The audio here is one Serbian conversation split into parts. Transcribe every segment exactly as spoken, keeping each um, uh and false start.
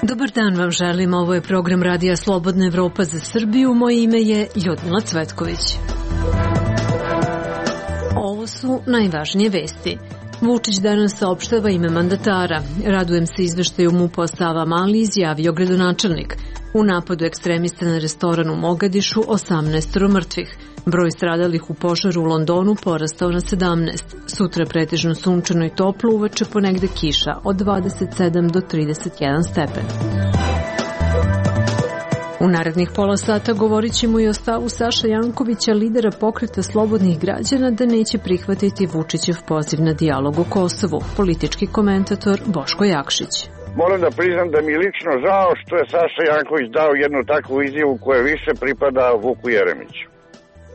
Dobar dan vam želim, ovo je program Radija Slobodna Evropa za Srbiju, moje ime je Ljudmila Cvetković. Ovo su najvažnije vesti. Vučić danas saopštava ime mandatara. Radujem se izveštaju MUP-a o Savamali, izjavio gradonačelnik. U napadu ekstremista na restoran u Mogadišu osamnaest mrtvih. Broj stradalih u požaru u Londonu porastao na sedamnaest. Sutra pretežno sunčano i toplo, uveče ponegde kiša od dvadeset sedam do trideset jedan stepen. U narednih pola sata govorit ćemo i o stavu Saše Jankovića, lidera Pokreta slobodnih građana, da neće prihvatiti Vučićev poziv na dijalog o Kosovu. Politički komentator Boško Jakšić. Moram da priznam da mi je lično žao što je Saša Janković dao jednu takvu izjavu koja više pripada Vuku Jeremiću.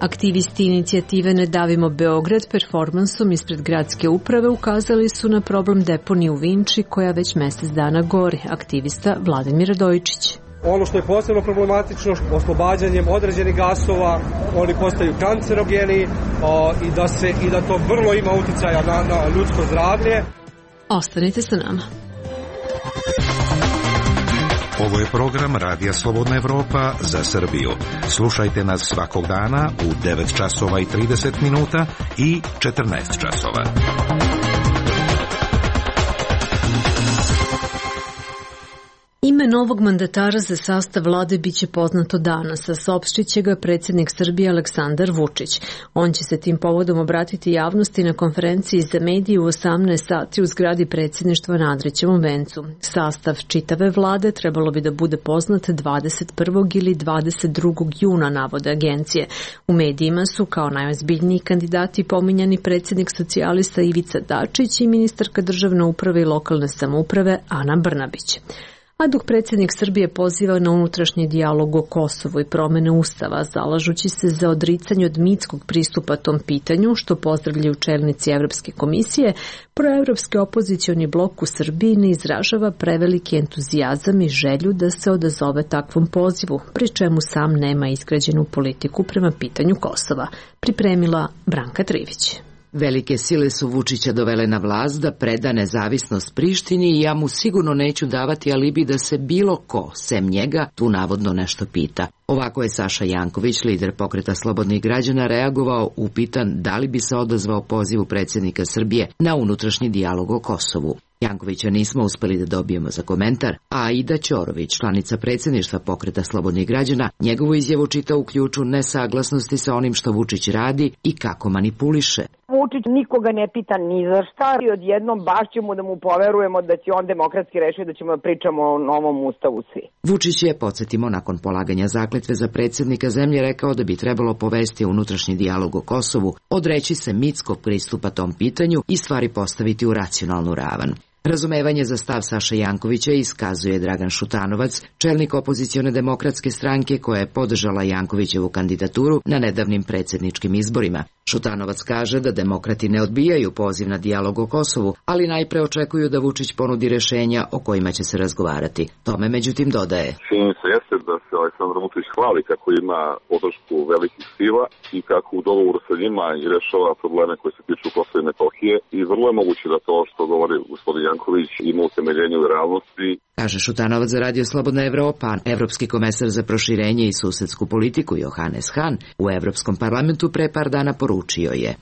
Aktivisti inicijative Ne davimo Beograd performansom ispred gradske uprave ukazali su na problem deponije u Vinči koja već mesec dana gori. Aktivista Vladimir Radojičić. Ono što je posebno problematično, oslobađanjem određenih gasova, oni postaju kancerogeni o, i, da se, i da to vrlo ima uticaja na, na ljudsko zdravlje. Ostanite sa nama. Ovo je program Radija Slobodna Evropa za Srbiju. Slušajte nas svakog dana u devet časova i trideset minuta i četrnaest časova. Ime novog mandatara za sastav vlade biće poznato danas, a saopštiće ga predsjednik Srbije Aleksandar Vučić. On će se tim povodom obratiti javnosti na konferenciji za medije u osamnaest sati u zgradi predsjedništva na Andrićevom vencu. Sastav čitave vlade trebalo bi da bude poznat dvadeset prvog ili dvadeset drugog juna, navode agencije. U medijima su kao najozbiljniji kandidati pominjani predsjednik socijalista Ivica Dačić i ministarka državne uprave i lokalne samouprave Ana Brnabić. A dok predsjednik Srbije poziva na unutrašnji dijalog o Kosovu i promene ustava, zalažući se za odricanje od mitskog pristupa tom pitanju, što pozdravljaju čelnici Evropske komisije, proevropski opozicioni blok u Srbiji ne izražava preveliki entuzijazam i želju da se odazove takvom pozivu, pri čemu sam nema izgrađenu politiku prema pitanju Kosova, pripremila Branka Trivić. Velike sile su Vučića dovele na vlast da preda nezavisnost Prištini i ja mu sigurno neću davati alibi da se bilo ko, sem njega, tu navodno nešto pita. Ovako je Saša Janković, lider Pokreta slobodnih građana, reagovao upitan da li bi se odazvao pozivu predsjednika Srbije na unutrašnji dijalog o Kosovu. Jankovića nismo uspeli da dobijemo za komentar, a Aida Ćorović, članica predsjedništva Pokreta slobodnih građana, njegovu izjavu čita u ključu nesaglasnosti sa onim što Vučić radi i kako manipuliše. Vučić nikoga ne pita ni za šta i odjednom baš ćemo da mu poverujemo da će on demokratski rešiti da ćemo da pričamo o novom ustavu svi. Vučić je, podsjetimo, nakon polaganja zakletve za predsjednika zemlje rekao da bi trebalo povesti unutrašnji dijalog o Kosovu, odreći se mitskog pristupa tom pitanju i stvari postaviti u racionalnu ravan. Razumevanje za stav Saše Jankovića iskazuje Dragan Šutanovac, čelnik opozicione demokratske stranke koja je podržala Jankovićevu kandidaturu na nedavnim predsjedničkim izborima. Šutanovac kaže da demokrati ne odbijaju poziv na dijalog o Kosovu, ali najpre očekuju da Vučić ponudi rešenja o kojima će se razgovarati. Tome međutim dodaje. Činjenica jeste da se Aleksandar Vučić hvali kako ima podršku velikih sila i kako u dogovoru sa njima i rešava probleme koje se tiču Kosova i Metohije i vrlo je moguće da to što govori gospodin Janković ima utemeljenje u realnosti. Kaže Šutanovac za Radio Slobodna Evropa. Evropski komesar za proširenje i susedsku politiku Johannes Hahn u Evropskom parlamentu pre par dana poručio je: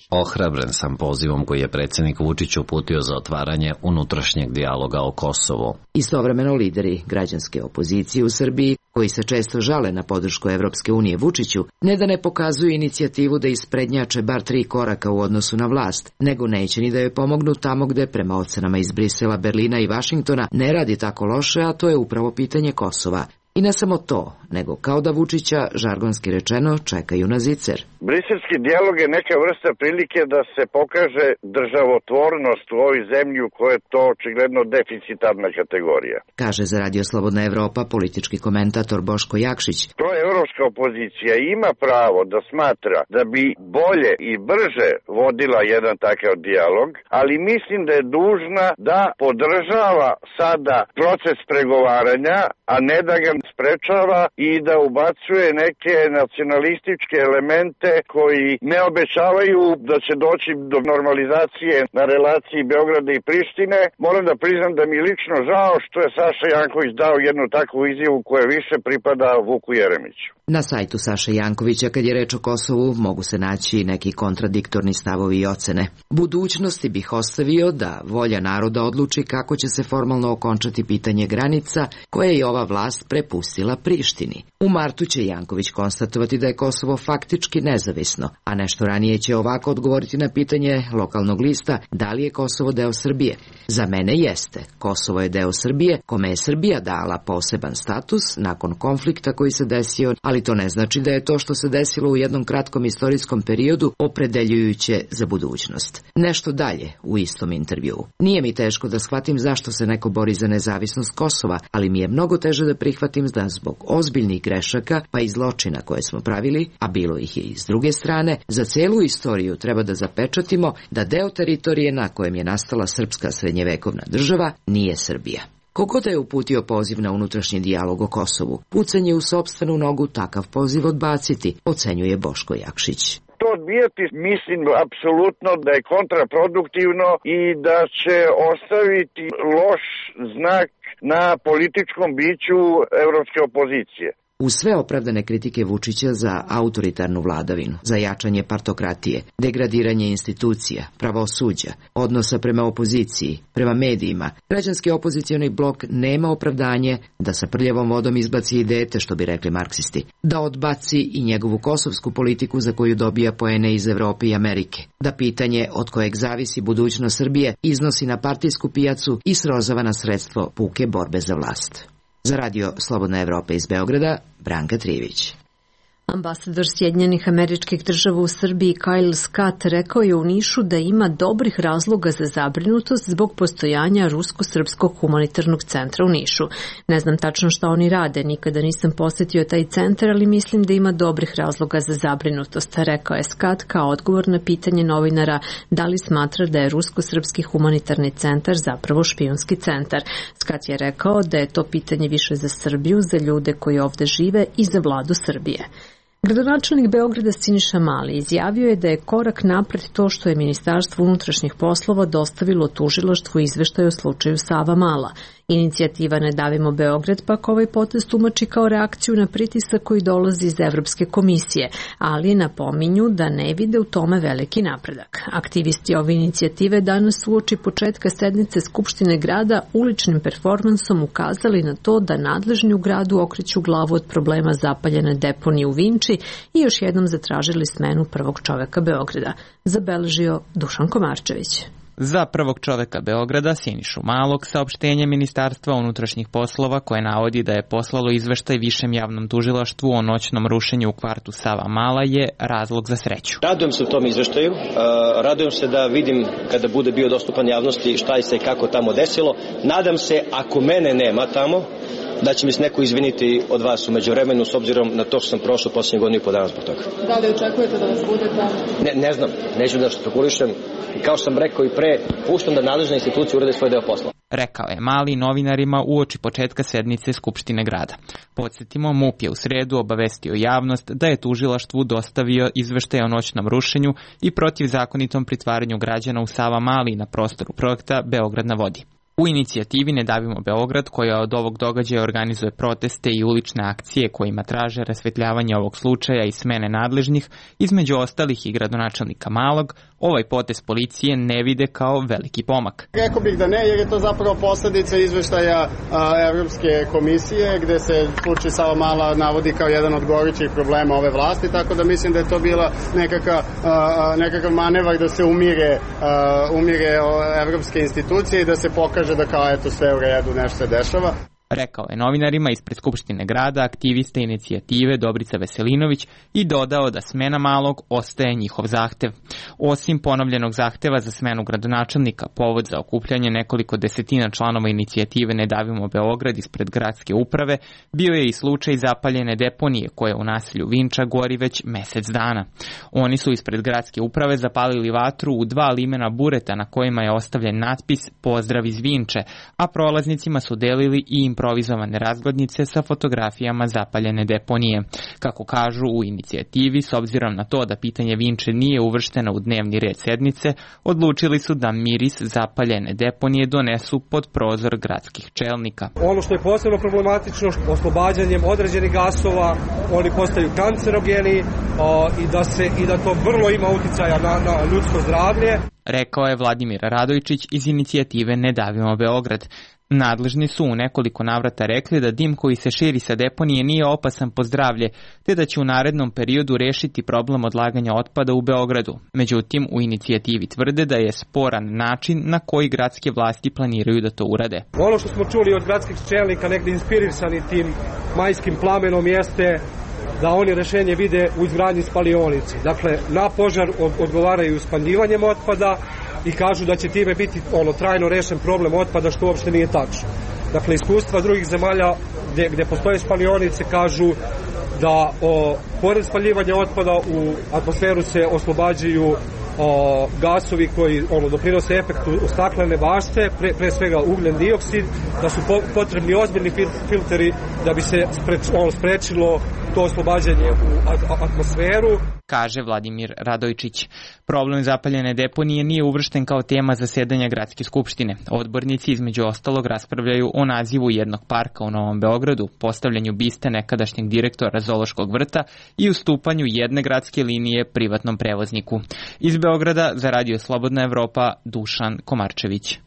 Ohrabren sam pozivom koji je predsjednik Vučić uputio za otvaranje unutrašnjeg dijaloga o Kosovu. Istovremeno lideri građanske opozicije u Srbiji, koji se često žale na podršku Evropske unije Vučiću, ne da ne pokazuju inicijativu da isprednjače bar tri koraka u odnosu na vlast, nego neće ni da joj pomognu tamo gde, prema ocenama iz Brisela, Berlina i Vašingtona, ne radi tako loše, a to je upravo pitanje Kosova. I ne samo to, nego kao da Vučića, žargonski rečeno, čekaju na zicer. Briselski dijalog je neka vrsta prilike da se pokaže državotvornost u ovoj zemlji u kojoj je to očigledno deficitarna kategorija. Kaže za Radio Slobodna Evropa politički komentator Boško Jakšić. To je Evropska evropska opozicija ima pravo da smatra da bi bolje i brže vodila jedan takav dijalog, ali mislim da je dužna da podržava sada proces pregovaranja, a ne da ga sprečava i da ubacuje neke nacionalističke elemente koji ne obećavaju da će doći do normalizacije na relaciji Beograda i Prištine. Moram da priznam da mi je lično žao što je Saša Janković dao jednu takvu izjavu koja više pripada Vuku Jeremiću. Na sajtu Saše Jankovića, kad je reč o Kosovu, mogu se naći neki kontradiktorni stavovi i ocene. Budućnosti bih ostavio da volja naroda odluči kako će se formalno okončati pitanje granica koje je ova vlast prepustila Prištini. U martu će Janković konstatovati da je Kosovo faktički nezavisno, a nešto ranije će ovako odgovoriti na pitanje lokalnog lista da li je Kosovo deo Srbije. Za mene jeste. Kosovo je deo Srbije, kome je Srbija dala poseban status nakon konflikta koji se desio, ali to ne znači da je to što se desilo u jednom kratkom istorijskom periodu opredeljujuće za budućnost. Nešto dalje u istom intervjuu. Nije mi teško da shvatim zašto se neko bori za nezavisnost Kosova, ali mi je mnogo teže da prihvatim da zbog ozbiljnih grešaka pa i zločina koje smo pravili, a bilo ih je i s druge strane, za celu istoriju treba da zapečatimo da deo teritorije na kojem je nastala srpska srednjevekovna država nije Srbija. Kogo da je uputio poziv na unutrašnji dijalog o Kosovu, pucanje u sopstvenu nogu takav poziv odbaciti, ocenjuje Boško Jakšić. To odbijati mislim apsolutno da je kontraproduktivno i da će ostaviti loš znak na političkom biću evropske opozicije. Uz sve opravdane kritike Vučića za autoritarnu vladavinu, za jačanje partokratije, degradiranje institucija, pravosuđa, odnosa prema opoziciji, prema medijima, građanski opozicioni blok nema opravdanje da sa prljavom vodom izbaci i dete, što bi rekli marksisti, da odbaci i njegovu kosovsku politiku za koju dobija poene iz Evrope i Amerike, da pitanje od kojeg zavisi budućnost Srbije iznosi na partijsku pijacu i srozava na sredstvo puke borbe za vlast. Za Radio Slobodna Evropa iz Beograda, Branka Trijević. Ambasador Sjedinjenih Američkih Država u Srbiji Kyle Scott rekao je u Nišu da ima dobrih razloga za zabrinutost zbog postojanja Rusko-srpskog humanitarnog centra u Nišu. Ne znam tačno šta oni rade, nikada nisam posetio taj centar, ali mislim da ima dobrih razloga za zabrinutost, rekao je Scott kao odgovor na pitanje novinara da li smatra da je Rusko-srpski humanitarni centar zapravo špijunski centar. Scott je rekao da je to pitanje više za Srbiju, za ljude koji ovde žive i za vladu Srbije. Gradonačelnik Beograda Siniša Mali izjavio je da je korak napred to što je Ministarstvo unutrašnjih poslova dostavilo tužilaštvu izveštaj o slučaju Savamala. Inicijativa Ne davimo Beograd pak ovaj potez tumači kao reakciju na pritisak koji dolazi iz Evropske komisije, ali napominju da ne vide u tome veliki napredak. Aktivisti ove inicijative danas uoči početka sednice Skupštine grada uličnim performansom ukazali na to da nadležni u gradu okreću glavu od problema zapaljene deponije u Vinči i još jednom zatražili smenu prvog čoveka Beograda, zabeležio Dušan Komarčević. Za prvog čoveka Beograda, Sinišu Malog, saopštenje Ministarstva unutrašnjih poslova koje navodi da je poslalo izveštaj Višem javnom tužilaštvu o noćnom rušenju u kvartu Savamala je razlog za sreću. Radujem se u tom izveštaju, radujem se da vidim kada bude bio dostupan javnosti šta je se i kako tamo desilo. Nadam se, ako mene nema tamo, da će mi se neko izviniti od vas u međuvremenu s obzirom na to što sam prošao posljednje godinu i po dana zbog toga. Da li očekujete da vas bude tamo? Ne, ne znam, neću da špekulišem. Kao što sam rekao i pre, puštam da nadležne institucije urade svoj deo posla. Rekao je Mali novinarima uoči početka sednice Skupštine grada. Podsjetimo, MUP je u sredu obavestio javnost da je tužilaštvu dostavio izveštaj o noćnom rušenju i protivzakonitom pritvaranju građana u Savamali na prostoru projekta Beograd na vodi. U inicijativi Ne davimo Beograd, koja od ovog događaja organizuje proteste i ulične akcije kojima traže rasvetljavanje ovog slučaja i smene nadležnih, između ostalih i gradonačelnika Malog, ovaj potez policije ne vide kao veliki pomak. Rekao bih da ne, jer je to zapravo posledica izveštaja a, Evropske komisije, gde se slučaj Savamala navodi kao jedan od gorućih problema ove vlasti, tako da mislim da je to bila nekakav, a, nekakav manevar da se umire, a, umire evropske institucije i da se pokaže da kao eto sve u redu, nešto se dešava. Rekao je novinarima ispred Skupštine grada, aktiviste inicijative Dobrica Veselinović i dodao da smena Malog ostaje njihov zahtev. Osim ponovljenog zahteva za smenu gradonačelnika, povod za okupljanje nekoliko desetina članova inicijative Ne davimo Beograd ispred gradske uprave bio je i slučaj zapaljene deponije koje u naselju Vinča gori već mesec dana. Oni su ispred gradske uprave zapalili vatru u dva limena bureta na kojima je ostavljen natpis Pozdrav iz Vinče, a prolaznicima su delili i improvizovane razglednice sa fotografijama zapaljene deponije. Kako kažu u inicijativi, s obzirom na to da pitanje Vinče nije uvršteno u dnevni red sednice, odlučili su da miris zapaljene deponije donesu pod prozor gradskih čelnika. Ono što je posebno problematično, oslobađanjem određenih gasova, oni postaju kancerogeni o, i, da se, i da to vrlo ima uticaja na, na ljudsko zdravlje. Rekao je Vladimir Radojčić iz inicijative Ne davimo Beograd. Nadležni su u nekoliko navrata rekli da dim koji se širi sa deponije nije opasan po zdravlje, te da će u narednom periodu rešiti problem odlaganja otpada u Beogradu. Međutim, u inicijativi tvrde da je sporan način na koji gradske vlasti planiraju da to urade. Ono što smo čuli od gradskih čelnika, negde inspirisani tim majskim plamenom, jeste da oni rešenje vide u izgradnji spalionici. Dakle, na požar odgovaraju spaljivanjem otpada i kažu da će time biti ono trajno rešen problem otpada, što uopšte nije tačno. Dakle, iskustva drugih zemalja gde, gde postoje spalionice kažu da o, pored spaljivanja otpada u atmosferu se oslobađaju o, gasovi koji ono, doprinose efektu staklene bašte, pre, pre svega ugljen dioksid, da su po, potrebni ozbiljni filteri da bi se spreč, ono, sprečilo to oslobađanje u atmosferu. Kaže Vladimir Radojčić. Problem zapaljene deponije nije uvršten kao tema zasedanja Gradske skupštine. Odbornici između ostalog raspravljaju o nazivu jednog parka u Novom Beogradu, postavljanju biste nekadašnjeg direktora Zoološkog vrta i ustupanju jedne gradske linije privatnom prevozniku. Iz Beograda za Radio Slobodna Evropa, Dušan Komarčević.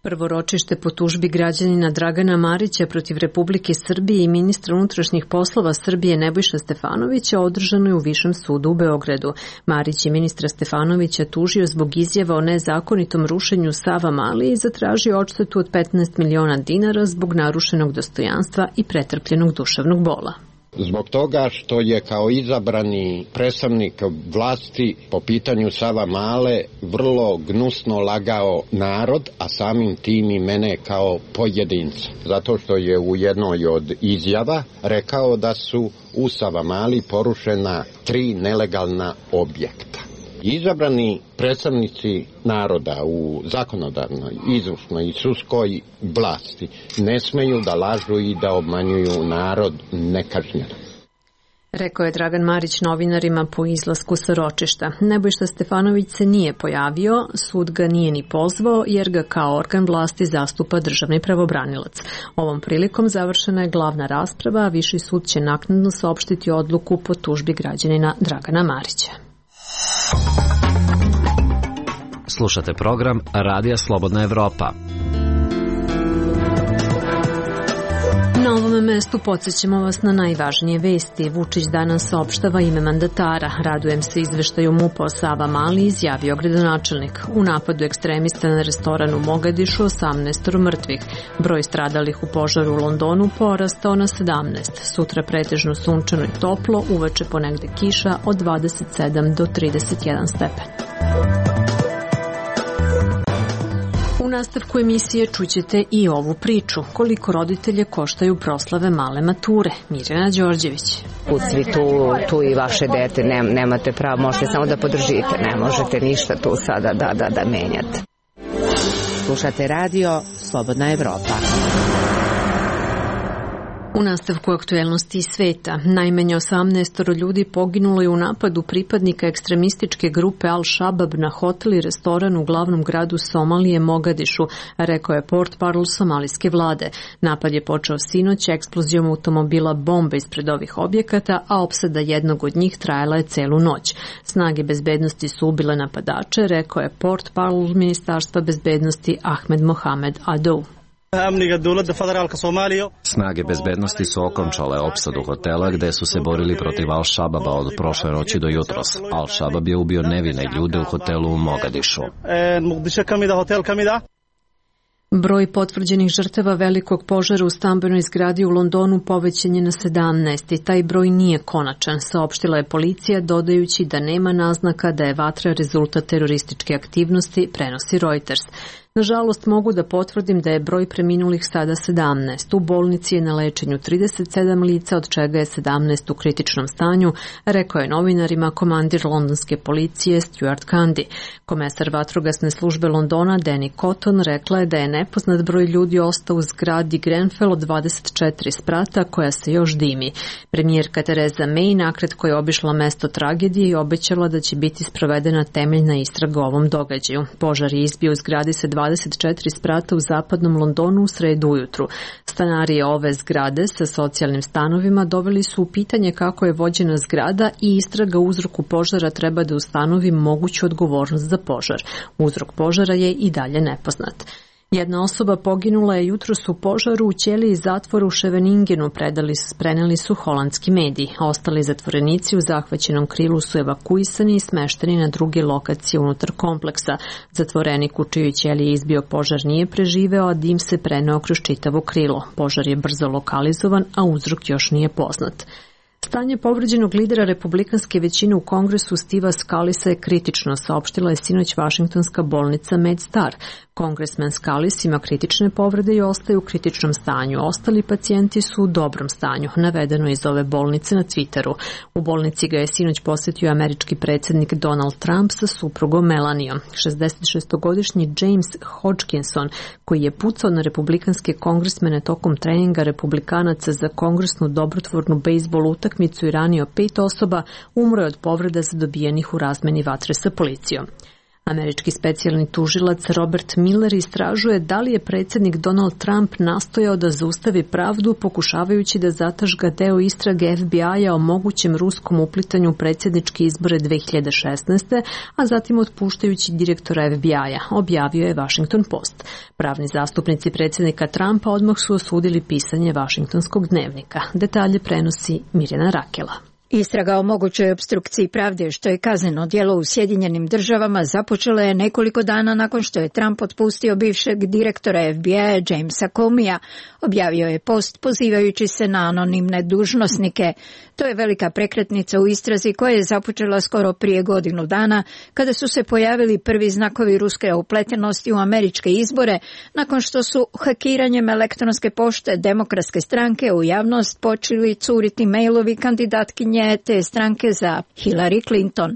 Prvo ročište po tužbi građanina Dragana Marića protiv Republike Srbije i ministra unutrašnjih poslova Srbije Nebojša Stefanovića održano je u Višem sudu u Beogradu. Marić je ministra Stefanovića tužio zbog izjava o nezakonitom rušenju Savamale i zatražio odštetu od petnaest miliona dinara zbog narušenog dostojanstva i pretrpljenog duševnog bola. Zbog toga što je kao izabrani predstavnik vlasti po pitanju Savamale vrlo gnusno lagao narod, a samim tim i mene kao pojedinca. Zato što je u jednoj od izjava rekao da su u Savamali porušena tri nelegalna objekta. Izabrani predstavnici naroda u zakonodavnoj, izvršnoj i sudskoj vlasti ne smeju da lažu i da obmanjuju narod nekažnjeno. Rekao je Dragan Marić novinarima po izlasku sa ročišta. Nebojša Stefanović se nije pojavio, sud ga nije ni pozvao jer ga kao organ vlasti zastupa državni pravobranilac. Ovom prilikom završena je glavna rasprava, a Viši sud će naknadno saopštiti odluku po tužbi građanina Dragana Marića. Slušate program Radija Slobodna Evropa. Na ovom mestu podsjećamo vas na najvažnije vesti. Vučić danas saopštava ime mandatara. Radujem se izveštaju MUP-a o Savamali, izjavio gradonačelnik. U napadu ekstremista na restoran u Mogadišu osamnaest mrtvih. Broj stradalih u požaru u Londonu porastao na sedamnaest. Sutra pretežno sunčano i toplo, uveče ponegde kiša od dvadeset sedam do trideset jedan stepen. U nastavku emisije čućete i ovu priču. Koliko roditelje koštaju proslave male mature? Mirjana Đorđević. Ucvi tu, tu i vaše dete, ne, nemate pravo, možete samo da podržite, ne možete ništa tu sada da, da, da menjate. Slušate radio Slobodna Evropa. U nastavku aktuelnosti iz sveta, najmanje osamnaest ljudi poginulo je u napadu pripadnika ekstremističke grupe Al-Shabab na hotel i restoran u glavnom gradu Somalije Mogadišu, rekao je portparol somalijske vlade. Napad je počeo sinoć eksplozijom automobila bombe ispred ovih objekata, a opsada jednog od njih trajala je celu noć. Snage bezbednosti su ubile napadače, rekao je portparol Ministarstva bezbednosti Ahmed Mohamed Adou. Snage bezbednosti su okončale opsadu hotela gde su se borili protiv Al-Shababa od prošle noći do jutros. Al-Shabab je ubio nevine ljude u hotelu u Mogadišu. Broj potvrđenih žrtava velikog požara u stambenoj zgradi u Londonu povećan je na sedamnaest i taj broj nije konačan, saopštila je policija dodajući da nema naznaka da je vatra rezultat terorističke aktivnosti, prenosi Reuters. Nažalost, mogu da potvrdim da je broj preminulih sada sedamnaest. U bolnici je na lečenju trideset sedam lica, od čega je sedamnaest u kritičnom stanju, rekao je novinarima komandir londonske policije Stuart Candy. Komesar vatrogasne službe Londona Danny Cotton rekla je da je nepoznat broj ljudi ostao u zgradi Grenfell od dvadeset četiri sprata koja se još dimi. Premijerka Theresa May nakratko je obišla mesto tragedije i obećala da će biti sprovedena temeljna istraga o ovom događaju. Požar je izbio u zgradi sa dvadeset četiri sprata u zapadnom Londonu u sredu ujutru. Stanari ove zgrade sa socijalnim stanovima doveli su u pitanje kako je vođena zgrada i istraga uzroku požara treba da ustanovi moguću odgovornost za požar. Uzrok požara je i dalje nepoznat. Jedna osoba poginula je jutros u požaru u ćeliji zatvora u Scheveningenu, predali, preneli su holandski mediji. Ostali zatvorenici u zahvaćenom krilu su evakuisani i smešteni na druge lokacije unutar kompleksa. Zatvorenik u čijoj ćeliji izbio požar nije preživeo, a dim se preneo kroz čitavo krilo. Požar je brzo lokalizovan, a uzrok još nije poznat. Stanje povređenog lidera republikanske većine u Kongresu Steva Scalisa je kritično, saopštila je sinoć Vašingtonska bolnica MedStar. Kongresmen Scalise ima kritične povrede i ostaje u kritičnom stanju. Ostali pacijenti su u dobrom stanju, navedeno iz ove bolnice na Twitteru. U bolnici ga je sinoć posjetio američki predsjednik Donald Trump sa suprugom Melanijom. šezdesetšestogodišnji James Hodgkinson, koji je pucao na republikanske kongresmene tokom treninga republikanaca za kongresnu dobrotvornu bejsbol utakmicu i ranio pet osoba, umro je od povreda zadobijenih u razmeni vatre sa policijom. Američki specijalni tužilac Robert Miller istražuje da li je predsjednik Donald Trump nastojao da zaustavi pravdu pokušavajući da zatažga deo istrage F B I-a o mogućem ruskom uplitanju u predsjedničke izbore dve hiljade šesnaeste. a zatim otpuštajući direktora F B I-a, objavio je Washington Post. Pravni zastupnici predsjednika Trumpa odmah su osudili pisanje Washingtonskog dnevnika. Detalje prenosi Mirjana Rakela. Istraga o mogućoj opstrukciji pravde, što je kazneno djelo u Sjedinjenim državama, započela je nekoliko dana nakon što je Trump otpustio bivšeg direktora F B I-a Jamesa Comeyja, objavio je Post pozivajući se na anonimne dužnosnike. To je velika prekretnica u istrazi koja je započela skoro prije godinu dana, kada su se pojavili prvi znakovi ruske upletenosti u američke izbore, nakon što su hakiranjem elektronske pošte Demokratske stranke u javnost počeli curiti mailovi kandidatkinje te stranke za Hillary Clinton.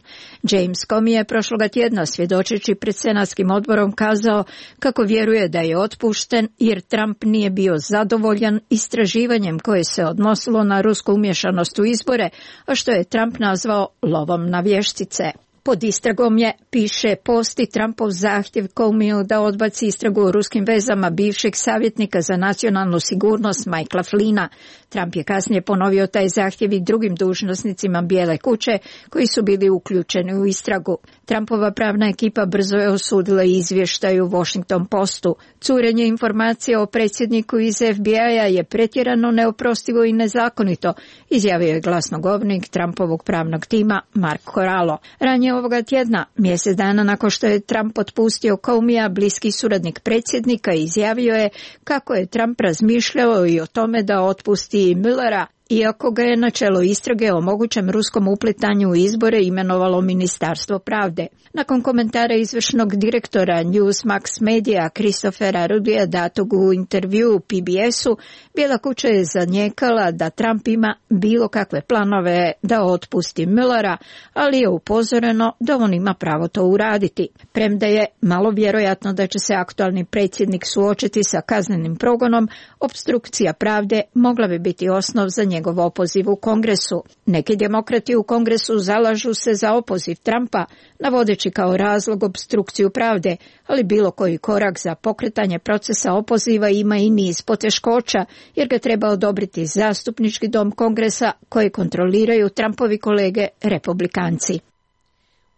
James Comey je prošloga tjedna svjedočeći pred senatskim odborom kazao kako vjeruje da je otpušten jer Trump nije bio zadovoljan istraživanjem koje se odnosilo na rusku umješanost u izbore, a što je Trump nazvao lovom na vještice. Pod istragom je, piše Post, i Trumpov zahtjev Comeyju da odbaci istragu o ruskim vezama bivšeg savjetnika za nacionalnu sigurnost Michaela Flynna. Trump je kasnije ponovio taj zahtjev i drugim dužnosnicima Bijele kuće koji su bili uključeni u istragu. Trumpova pravna ekipa brzo je osudila izvještaj u Washington Postu. Curenje informacija o predsjedniku iz F B I-a je pretjerano, neoprostivo i nezakonito, izjavio je glasnogovornik Trumpovog pravnog tima Mark Corallo. Ranije ovoga tjedna, mjesec dana nakon što je Trump otpustio Comeyja, bliski suradnik predsjednika izjavio je kako je Trump razmišljao i o tome da otpusti Muellera, iako ga je na čelo istrage o mogućem ruskom uplitanju u izbore imenovalo Ministarstvo pravde. Nakon komentara izvršnog direktora Newsmax Media Christophera Rudija datog u intervju P B S-u, Bijela kuća je zanijekala da Trump ima bilo kakve planove da otpusti Muellera, ali je upozoreno da on ima pravo to uraditi. Premda je malo vjerojatno da će se aktualni predsjednik suočiti sa kaznenim progonom, opstrukcija pravde mogla bi biti osnov za njegov opoziv u Kongresu. Neki demokrati u Kongresu zalažu se za opoziv Trumpa, navodeći kao razlog opstrukciju pravde, ali bilo koji korak za pokretanje procesa opoziva ima i niz poteškoća, jer ga treba odobriti zastupnički dom Kongresa koje kontroliraju Trumpovi kolege republikanci.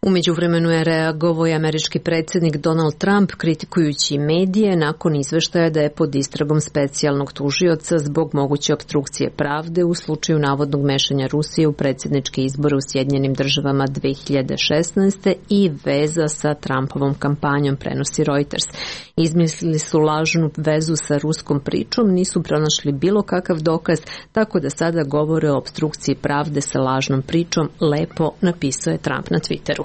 U međuvremenu je reagovao i američki predsjednik Donald Trump kritikujući medije nakon izveštaja da je pod istragom specijalnog tužioca zbog moguće opstrukcije pravde u slučaju navodnog mešanja Rusije u predsjedničke izbore u Sjedinjenim državama dve hiljade šesnaeste. i veza sa Trumpovom kampanjom, prenosi Reuters. Izmislili su lažnu vezu sa ruskom pričom, nisu pronašli bilo kakav dokaz, tako da sada govore o opstrukciji pravde sa lažnom pričom, lepo napisao je Trump na Twitteru.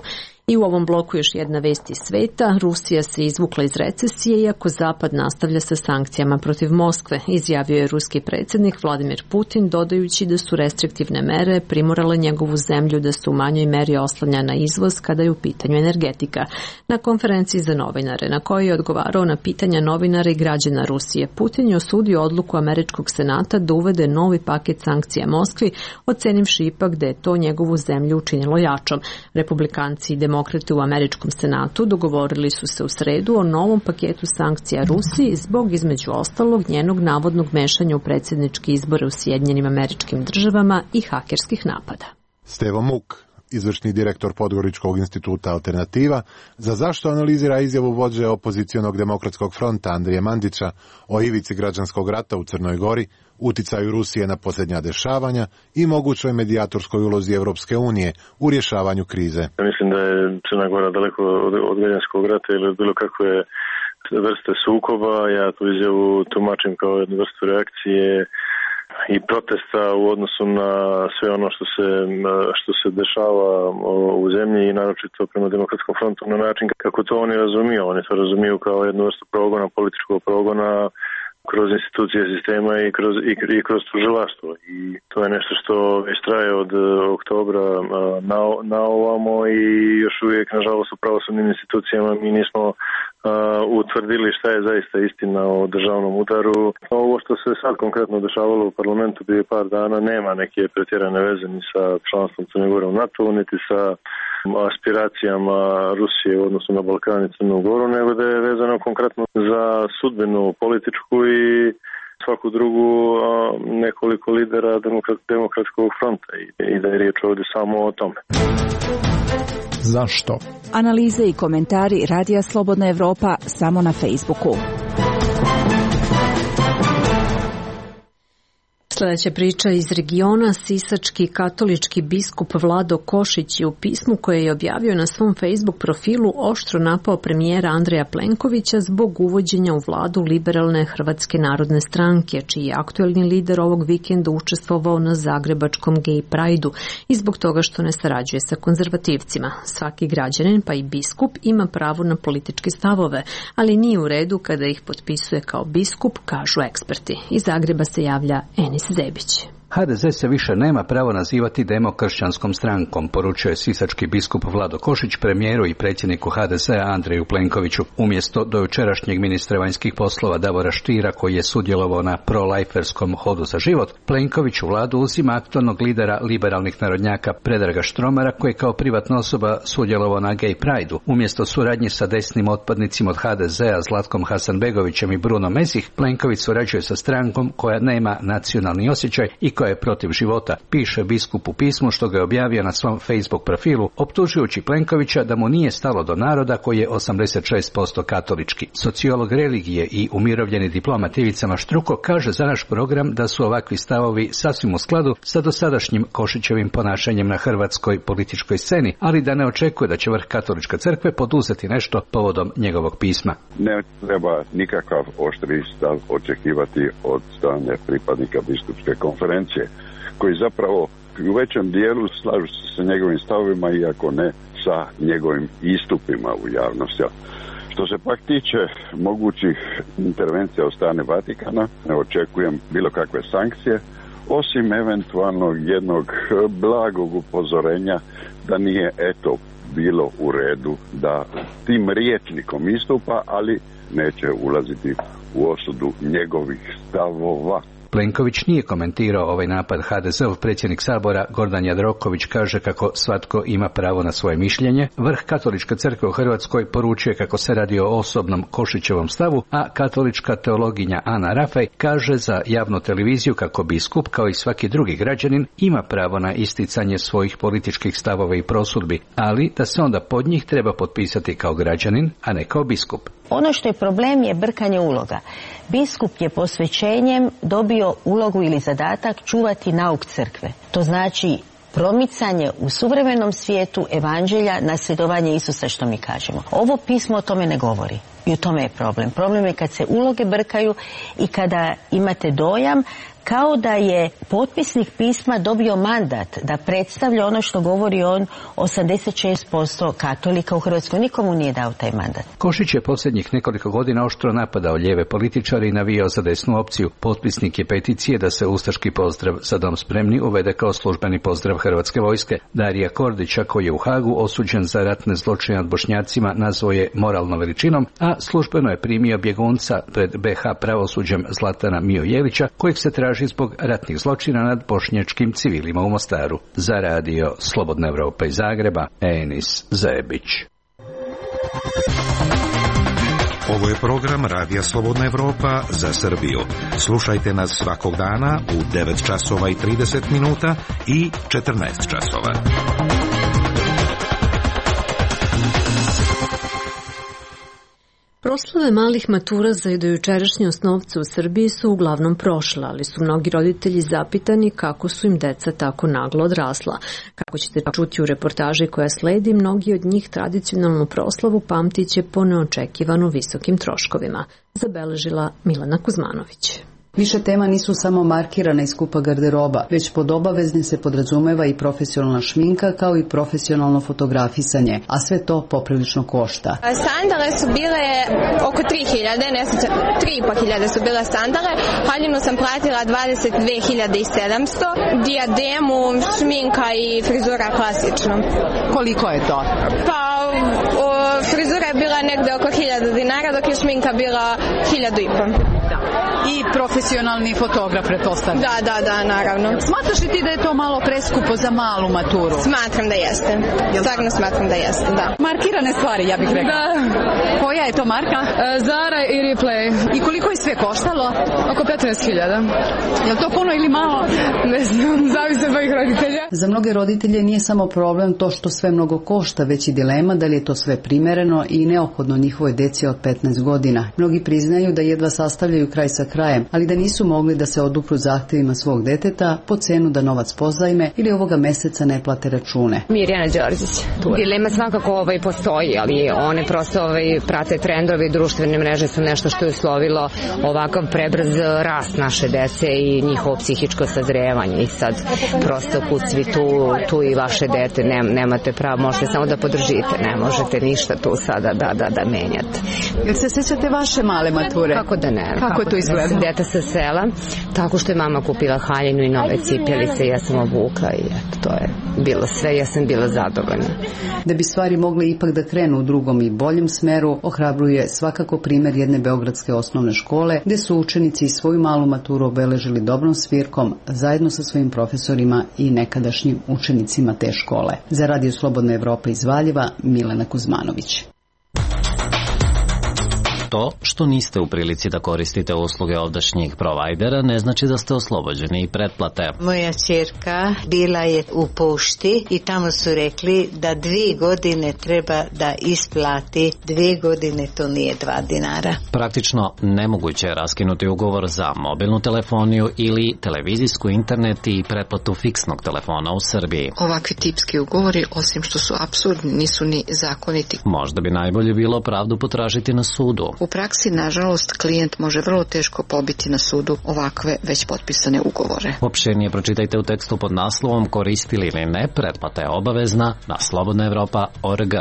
I u ovom bloku još jedna vest iz sveta. Rusija se izvukla iz recesije iako Zapad nastavlja sa sankcijama protiv Moskve, izjavio je ruski predsjednik Vladimir Putin, dodajući da su restriktivne mere primorale njegovu zemlju da se u manjoj meri oslanja na izvoz kada je u pitanju energetika. Na konferenciji za novinare, na kojoj je odgovarao na pitanja novinara i građana Rusije, Putin je osudio odluku američkog senata da uvede novi paket sankcija Moskvi, ocenivši ipak da je to njegovu zemlju učinilo jačom. Republikanci i demokrati u američkom senatu dogovorili su se u sredu o novom paketu sankcija Rusiji zbog, između ostalog, njenog navodnog mešanja u predsjedničke izbore u Sjedinjenim Američkim Državama i hakerskih napada. Stevo Muk, izvršni direktor Podgoričkog instituta Alternativa, za zašto analizira izjavu vođe opozicionog demokratskog fronta Andrije Mandića o ivici građanskog rata u Crnoj Gori, uticaju Rusije na posljednja dešavanja i mogućoj medijatorskoj ulozi Evropske unije u rješavanju krize. Ja mislim da je Crna Gora daleko od, od građanskog rata ili bilo kakve vrste sukoba. Ja tu izjavu tumačim kao jednu vrstu reakcije i protesta u odnosu na sve ono što se, što se dešava u zemlji i naročito prema Demokratskom frontu na način kako to oni razumiju. Oni to razumiju kao jednu vrstu progona, političkog progona kroz institucije sistema i kroz, i, i kroz tužilaštvo. I to je nešto što već traje od oktobra na, na ovamo i još uvijek, nažalost, u pravosudnim institucijama mi nismo uh, utvrdili šta je zaista istina o državnom udaru. Ovo što se sad konkretno dešavalo u parlamentu prije par dana nema neke pretjerane veze ni sa članstvom Crne Gore u NATO, niti sa aspiracijama Rusije u odnosu na Balkan i Crnu Goru, nego da je vezano konkretno za sudbinu političku i svaku drugu a, nekoliko lidera demokrat, demokratskog fronta i, i da je riječ ovdje samo o tome. Zašto? Analize i komentari Radija Slobodna Evropa samo na Facebooku. Sljedeća priča iz regiona. Sisački katolički biskup Vlado Košić je u pismu koje je objavio na svom Facebook profilu oštro napao premijera Andreja Plenkovića zbog uvođenja u vladu liberalne Hrvatske narodne stranke, čiji je aktuelni lider ovog vikenda učestvovao na zagrebačkom Gay Prideu i zbog toga što ne sarađuje sa konzervativcima. Svaki građanin, pa i biskup, ima pravo na političke stavove, ali nije u redu kada ih potpisuje kao biskup, kažu eksperti. Iz Zagreba se javlja Enis Zebić. ha de ze se više nema pravo nazivati demokršćanskom strankom, poručuje sisački biskup Vlado Košić premijeru i predsjedniku ha de zea Andreju Plenkoviću. Umjesto dojučerašnjeg ministra vanjskih poslova Davora Štira, koji je sudjelovao na pro-lajferskom hodu za život, Plenković u vladu uzima aktualnog lidera liberalnih narodnjaka Predraga Štromara, koji je kao privatna osoba sudjelovao na Gay Prideu. Umjesto suradnje sa desnim otpadnicima od ha de zea Zlatkom Hasanbegovićem i Bruno Mesih, Plenković surađuje sa strankom koja nema nacionalni osjećaj i koja je protiv života, piše biskup u pismu što ga je objavio na svom Facebook profilu, optužujući Plenkovića da mu nije stalo do naroda koji je osamdeset šest posto katolički. Sociolog religije i umirovljeni diplomat Ivica Maštruko kaže za naš program da su ovakvi stavovi sasvim u skladu sa dosadašnjim Košićevim ponašanjem na hrvatskoj političkoj sceni, ali da ne očekuje da će vrh katoličke crkve poduzeti nešto povodom njegovog pisma. Ne treba nikakav oštri stav očekivati od strane pripadnika biskupske konferencije, koji zapravo u većem dijelu slažu se sa njegovim stavovima, iako ne sa njegovim istupima u javnosti. Što se pak tiče mogućih intervencija od strane Vatikana, ne očekujem bilo kakve sankcije, osim eventualnog jednog blagog upozorenja da nije eto bilo u redu da tim rječnikom istupa, ali neće ulaziti u osudu njegovih stavova. Plenković nije komentirao ovaj napad. ha de zeov predsjednik Sabora Gordan Jandroković kaže kako svatko ima pravo na svoje mišljenje. Vrh Katoličke crkve u Hrvatskoj poručuje kako se radi o osobnom Košićevom stavu, a katolička teologinja Ana Rafaj kaže za javnu televiziju kako biskup, kao i svaki drugi građanin, ima pravo na isticanje svojih političkih stavova i prosudbi, ali da se onda pod njih treba potpisati kao građanin, a ne kao biskup. Ono što je problem je brkanje uloga. Biskup je posvećenjem dobio ulogu ili zadatak čuvati nauk crkve. To znači promicanje u suvremenom svijetu evanđelja, nasljedovanje Isusa, što mi kažemo. Ovo pismo o tome ne govori. I u tome je problem. Problem je kad se uloge brkaju i kada imate dojam kao da je potpisnik pisma dobio mandat da predstavlja ono što govori on, osamdeset šest posto katolika u Hrvatskoj. Nikomu nije dao taj mandat. Košić je posljednjih nekoliko godina oštro napadao lijeve političare i navijao za desnu opciju. Potpisnik je peticije da se ustaški pozdrav "Za dom spremni" uvede kao službeni pozdrav Hrvatske vojske. Darija Kordića, koji je u Hagu osuđen za ratne zločine nad Bošnjacima, nazvao je moralnom veličinom, a službeno je primio bjegunca pred be ha pravosuđem Zlatana Mijojevića, kojeg se traži zbog ratnih zločina nad bošnjačkim civilima u Mostaru. Za radio Slobodna Evropa iz Zagreba, Enis Zebić. Ovo je program Radija Slobodna Evropa za Srbiju. Slušajte nas svakog dana u devet časova i trideset minuta i četrnaest časova. Proslave malih matura za dojučerašnje osnovce u Srbiji su uglavnom prošle, ali su mnogi roditelji zapitani kako su im deca tako naglo odrasla. Kako ćete čuti u reportaži koja sledi, mnogi od njih tradicionalnu proslavu pamtiće po neočekivano visokim troškovima, zabeležila Milena Kuzmanović. Više tema nisu samo markirana i skupa garderoba, već pod obavezni se podrazumeva i profesionalna šminka kao i profesionalno fotografisanje, a sve to poprilično košta. Sandale su bile oko tri hiljade, ne znam, tri i po hiljade su bile sandale, haljinu sam platila dvadeset dve hiljade sedamsto, dijademu, šminka i frizura klasično. Koliko je to? Pa o, frizura je bila negde oko hiljada dinara, dok je šminka bila hiljadu i po. I profesionalni fotograf, pretpostavljam. Da, da, da, naravno. Smatraš li ti da je to malo preskupo za malu maturu? Smatram da jeste. Stvarno smatram da jeste, da. Markirane stvari, ja bih rekla. Da. Koja je to marka? Uh, Zara i Replay. I koliko je sve koštalo? Oko petnaest hiljada. Je li to puno ili malo? Ne znam, zavisi od mojih roditelja. Za mnoge roditelje nije samo problem to što sve mnogo košta, već i dilema da li je to sve primereno i neophodno njihovoj deci od petnaest godina. Mnogi priznaju da jedva sastavljaju kraj sa krajem, ali da nisu mogli da se odupru zahtjevima svog deteta po cenu da novac pozajme ili ovoga meseca ne plate račune. Mirjana Đorđić. Dilema svakako ovaj postoji, ali one prosto ovaj prate trendovi, društvene mreže su nešto što je uslovilo ovakav prebrz rast naše dece i njihovo psihičko sazrevanje. I sad prosto kud svi tu, tu i vaše dete, ne, nemate pravo, možete samo da podržite, ne možete ništa tu sada da, da, da menjate. Jel se sjećate vaše male mature? Kako da ne? Kako, kako to izgleda? Deta sa sela, tako što je mama kupila haljinu i nove cipelice, ja sam obukla i eto, to je bilo sve, ja sam bila zadovoljna. Da bi stvari mogle ipak da krenu u drugom i boljem smeru, ohrabruje svakako primjer jedne beogradske osnovne škole, gdje su učenici svoju malu maturu obeležili dobrom svirkom zajedno sa svojim profesorima i nekadašnjim učenicima te škole. Za Radio Slobodna Evropa iz Valjeva, Milena Kuzmanović. To što niste u prilici da koristite usluge ovdašnjih provajdera ne znači da ste oslobođeni i pretplate. Moja ćerka bila je u pošti i tamo su rekli da dvije godine treba da isplati, dvije godine to nije dva dinara. Praktično nemoguće je raskinuti ugovor za mobilnu telefoniju ili televizijsku, internet i pretplatu fiksnog telefona u Srbiji. Ovakvi tipski ugovori, osim što su apsurdni, nisu ni zakoniti. Možda bi najbolje bilo pravdu potražiti na sudu. U praksi, nažalost, klijent može vrlo teško pobiti na sudu ovakve već potpisane ugovore. Opširnije pročitajte u tekstu pod naslovom Koristili ili ne, pretplata je obavezna na slobodna evropa tačka org.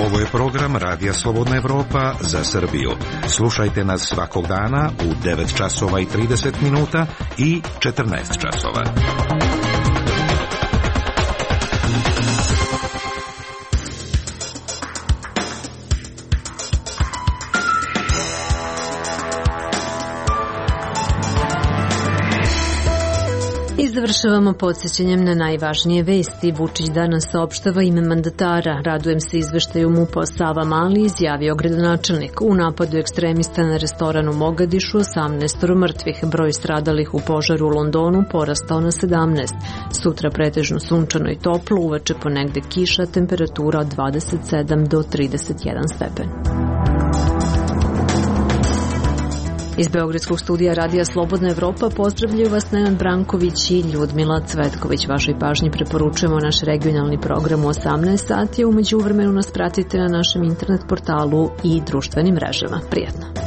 Ovo je program Radija Slobodna Evropa za Srbiju. Slušajte nas svakog dana u devet časova i trideset minuta i četrnaest časova. I završavamo podsjećanjem na najvažnije vesti. Vučić danas saopštava ime mandatara. Radujem se izveštaju MUP-a Savamali, izjavio gradonačelnik. U napadu ekstremista na restoran u Mogadišu osamnaest mrtvih. Broj stradalih u požaru u Londonu porastao na sedamnaest. Sutra pretežno sunčano i toplo, uveče ponegde kiša, temperatura od dvadeset sedam do trideset jedan stepen. Iz Beogradskog studija Radija Slobodna Evropa pozdravljaju vas Nenad Branković i Ljudmila Cvetković. Vašoj pažnji preporučujemo naš regionalni program u osamnaest sati, a umeđu vremenu nas pratite na našem internet portalu i društvenim mrežama. Prijatno!